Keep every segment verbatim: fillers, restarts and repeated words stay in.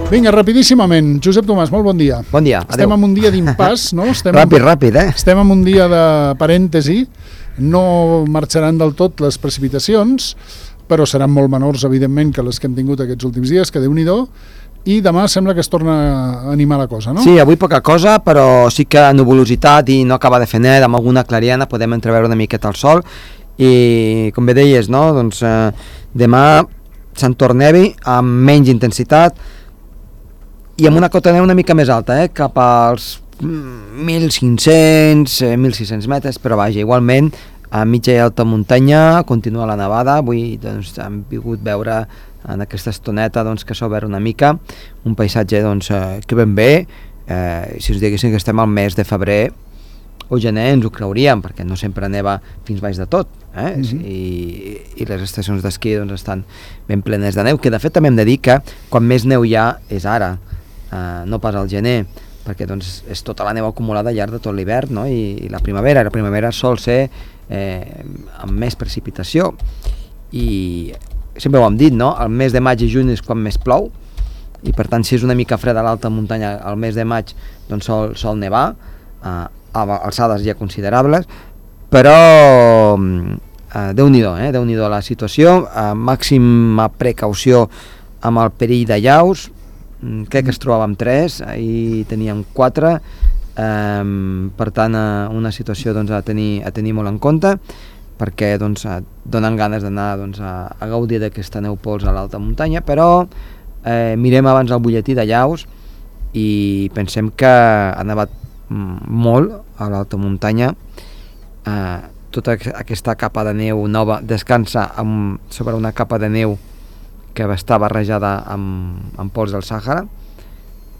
Vinga, rapidíssimament. Josep Tomàs, molt bon dia. Bon dia, adéu. Estem en un dia d'impàs, no? Estem ràpid, en... ràpid, eh? Estem en un dia de parèntesi. No marxaran del tot les precipitacions, però seran molt menors, evidentment, que les que hem tingut aquests últims dies, que Déu-n'hi-do. I demà sembla que es torna a animar la cosa, no? Sí, avui poca cosa, però sí que nuvolositat i no acaba de fer net, amb alguna clariana podem entreveure una miqueta el sol. I, com bé deies, no? Doncs eh, demà s'entornevi amb menys intensitat, i amb una cota de neu una mica més alta, eh? Cap als mil cinc-cents, mil sis-cents metres, però vaja, igualment a mitja i alta muntanya continua la nevada. Avui doncs, hem pogut veure en aquesta estoneta doncs, que s'ha obert una mica un paisatge doncs, eh, que ben bé, eh, si us diguéssim que estem al mes de febrer o gener ens ho creuríem, perquè no sempre neva fins baix de tot, eh? Mm-hmm. I, i les estacions d'esquí doncs, estan ben plenes de neu, que de fet també hem de dir que quan més neu hi ha és ara, Uh, no pas al gener, perquè doncs, és tota la neu acumulada al llarg de tot l'hivern, no? I, i la primavera, la primavera sol ser eh, amb més precipitació, i sempre ho hem dit, no? El mes de maig i juny és quan més plou, i per tant si és una mica freda a l'alta muntanya al mes de maig doncs sol, sol nevar uh, a alçades ja considerables, però uh, Déu-n'hi-do, eh? Déu-n'hi-do la situació, uh, màxima precaució amb el perill de llaus. Crec que es trobàvem tres, ahir teníem quatre, eh, per tant eh, una situació doncs, a, tenir, a tenir molt en compte, perquè doncs, donen ganes d'anar doncs, a, a gaudir d'aquesta neu pols a l'alta muntanya, però eh, mirem abans el butlletí de llaus i pensem que ha nevat molt a l'alta muntanya. Eh, tota aquesta capa de neu nova descansa amb, sobre una capa de neu que va estar barrejada amb, amb pols del Sàhara,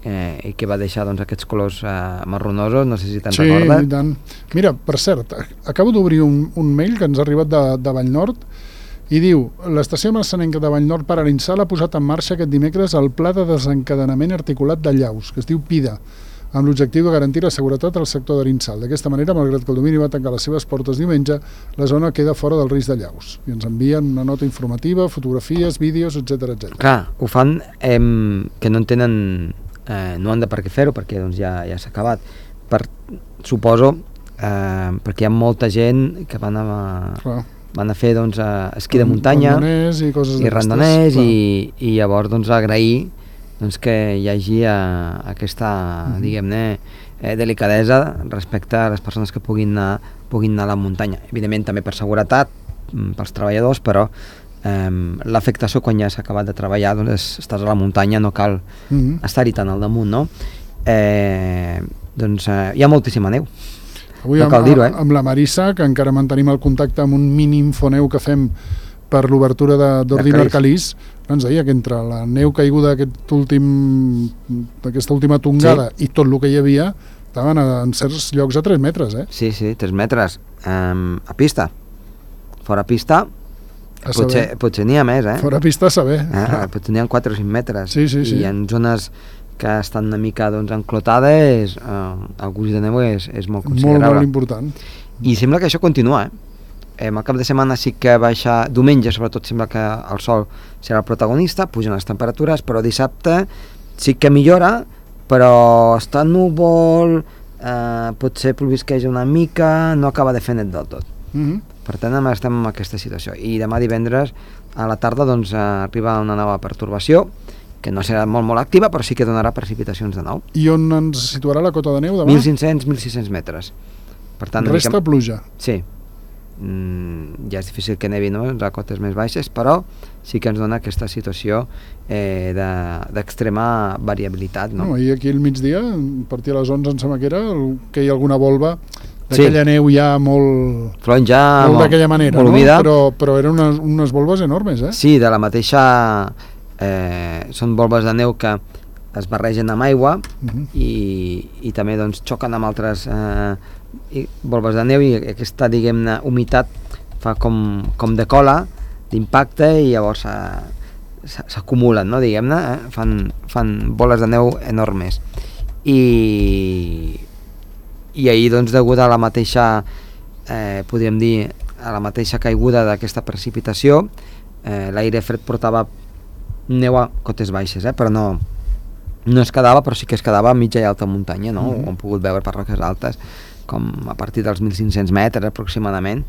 eh, i que va deixar doncs, aquests colors eh, marronosos, no sé si te'n sí, recordes. Sí, tant. Mira, per cert, acabo d'obrir un, un mail que ens ha arribat de, de Vallnord i diu: l'estació marçanenca de Vallnord per Arinsal ha posat en marxa aquest dimecres el pla de desencadenament articulat de llaus, que es diu PIDA, amb l'objectiu de garantir la seguretat al sector d'Arinsal. D'aquesta manera, malgrat que el domini va tancar les seves portes diumenge, la zona queda fora del risc de llaus. I ens envien una nota informativa, fotografies, vídeos, etcètera, etcètera. Clar, ho fan eh, que no en tenen, eh, no han de per què fer-ho, perquè doncs, ja, ja s'ha acabat. Per, suposo, eh, perquè hi ha molta gent que van a, van a fer doncs, esquí de muntanya, randoners i coses i randoners, i, i llavors doncs, agrair doncs que hi hagi uh, aquesta, mm-hmm. diguem-ne, eh, delicadesa respecte a les persones que puguin anar, puguin anar a la muntanya. Evidentment també per seguretat, pels treballadors, però eh, l'afectació quan ja s'ha acabat de treballar, doncs és, estàs a la muntanya, no cal mm-hmm. estar-hi tan al damunt, no? Eh, doncs eh, hi ha moltíssima neu. Avui no amb, cal dir-ho, eh? Amb la Marissa, que encara mantenim el contacte amb un mini infoneu que fem per l'obertura d'Ordino Arcalís, ens deia que entre la neu caiguda d'aquest últim, d'aquesta última tongada sí. i tot el que hi havia, estaven a, en certs llocs a tres metres, eh? Sí, sí, tres metres. Um, a pista. Fora pista, a potser, potser n'hi ha més, eh? Fora pista a saber. Eh? Potser n'hi ha quatre o cinc metres. Sí, sí, sí. I en zones que estan una mica doncs, enclotades, eh, el gruix de neu és, és molt considerable. Molt, molt important. I sembla que això continua, eh? Eh, el cap de setmana sí que baixa, diumenge sobretot sembla que el sol serà el protagonista, pugen les temperatures, però dissabte sí que millora, però està núvol, eh, potser plovisqueja una mica, no acaba de fer net del tot. Mm-hmm. Per tant, estem en aquesta situació. I demà divendres a la tarda doncs, arriba una nova pertorbació, que no serà molt molt activa, però sí que donarà precipitacions de nou. I on ens situarà la cota de neu demà? mil cinc-cents a mil sis-cents metres. Per tant, resta mica... pluja. Sí. Mm, ja és difícil que nevi, no?, a cotes més baixes, però sí que ens dona aquesta situació eh, d'extrema de, variabilitat, no? No, i aquí al migdia, a partir de les onze em sembla que era, que hi ha alguna volva d'aquella sí. neu ja molt... Flonja, molt, molt d'aquella manera, molt no? Però, però eren unes, unes volves enormes, eh? Sí, de la mateixa... Eh, són volves de neu que es barregen amb aigua uh-huh. i, i també doncs, xoquen amb altres eh, i volves de neu, i aquesta, diguem-ne, humitat fa com, com de cola d'impacte i llavors s'acumulen, no, diguem-ne, eh? fan, fan boles de neu enormes. I, i ahir, doncs, degut a la mateixa, eh, podríem dir, a la mateixa caiguda d'aquesta precipitació, eh, l'aire fred portava neu a cotes baixes, eh? però no, no es quedava, però sí que es quedava a mitja i alta muntanya, no? Mm-hmm. Ho hem pogut veure per Roques Altes, com a partir dels mil cinc-cents metres aproximadament,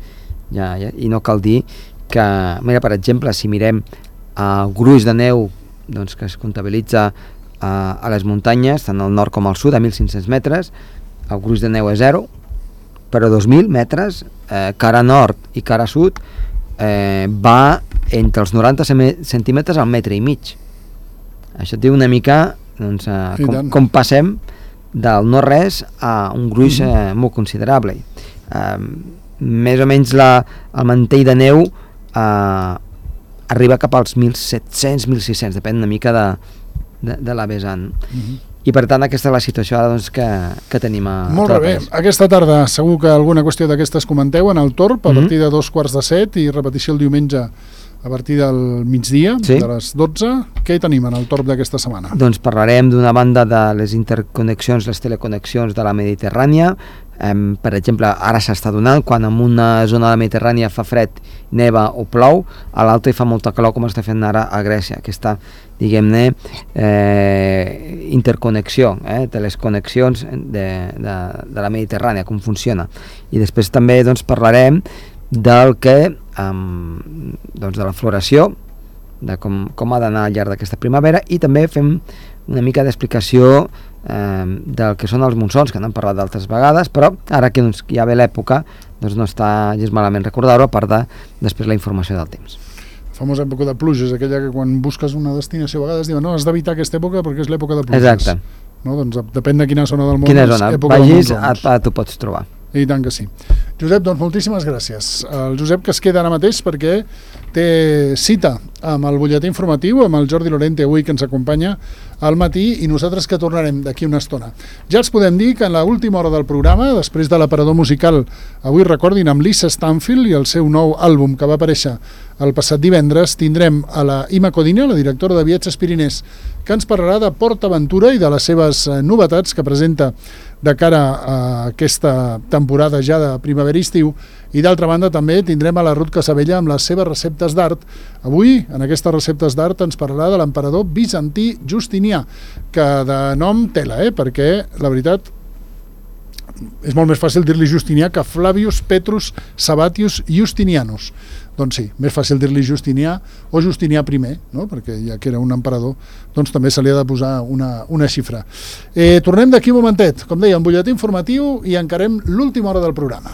ja, ja, i no cal dir que, mira, per exemple, si mirem el uh, gruix de neu doncs, que es comptabilitza uh, a les muntanyes, tant al nord com al sud, a mil cinc-cents metres, el gruix de neu és zero, però a dos mil metres, eh, cara nord i cara sud, eh, va entre els noranta centímetres al metre i mig. Això et diu una mica doncs, eh, com, com passem del no res a un gruix eh, molt considerable. Eh, més o menys la, el mantell de neu eh, arriba cap als mil set-cents mil sis-cents, depèn una mica de, de, de la vessant. Uh-huh. I per tant aquesta és la situació ara doncs, que, que tenim a Molt bé, aquesta tarda segur que alguna qüestió d'aquestes comenteu en el Torb a uh-huh. partir de dos quarts de set i repetició el diumenge a partir del migdia, sí. de les dotze. Què hi tenim en el Torb d'aquesta setmana? Doncs parlarem d'una banda de les interconnexions, les teleconnexions de la Mediterrània. Eh, per exemple, ara s'està donant, quan en una zona de la Mediterrània fa fred, neva o plou, a l'altra hi fa molta calor, com està fent ara a Grècia. Aquesta, diguem-ne, eh, interconnexió, eh, de les connexions de, de, de la Mediterrània, com funciona. I després també doncs, parlarem del que, um, doncs de la floració, de com, com ha d'anar al llarg d'aquesta primavera, i també fem una mica d'explicació eh, del que són els monsons, que n'hem parlat d'altres vegades, però ara que doncs, ja ve l'època, doncs no està gens malament recordar-ho, a part de després la informació del temps. La famosa època de pluges, aquella que quan busques una destinació a vegades diuen no, has d'evitar aquesta època perquè és l'època de pluges. Exacte. No? Doncs depèn de quina zona del món. Quina zona, vagis, a, a, t'ho pots trobar. I tant que sí. Josep, doncs moltíssimes gràcies. El Josep que es queda ara mateix perquè té cita amb el butlletí informatiu, amb el Jordi Lorente avui que ens acompanya al matí i nosaltres que tornarem d'aquí una estona. Ja els podem dir que en l'última hora del programa, després de l'aparador musical, avui recordin amb Lisa Stanfield i el seu nou àlbum que va aparèixer el passat divendres, tindrem a la Ima Codina, la directora de Viatges Pirinès, que ens parlarà de Port Aventura i de les seves novetats que presenta de cara a aquesta temporada ja de primavera-estiu, i d'altra banda també tindrem a la Ruth Casabella amb les seves receptes d'art. Avui, en aquestes receptes d'art, ens parlarà de l'emperador bizantí Justinià, que de nom tela, eh? perquè la veritat és molt més fàcil dir-li Justinià que Flavius Petrus Sabatius Justinianus. Doncs sí, més fàcil dir-li Justinià o Justinià primer, no? perquè ja que era un emperador, doncs també se li ha de posar una, una xifra. Eh, tornem d'aquí un momentet, com deia, un butlletí informatiu i encarem l'última hora del programa.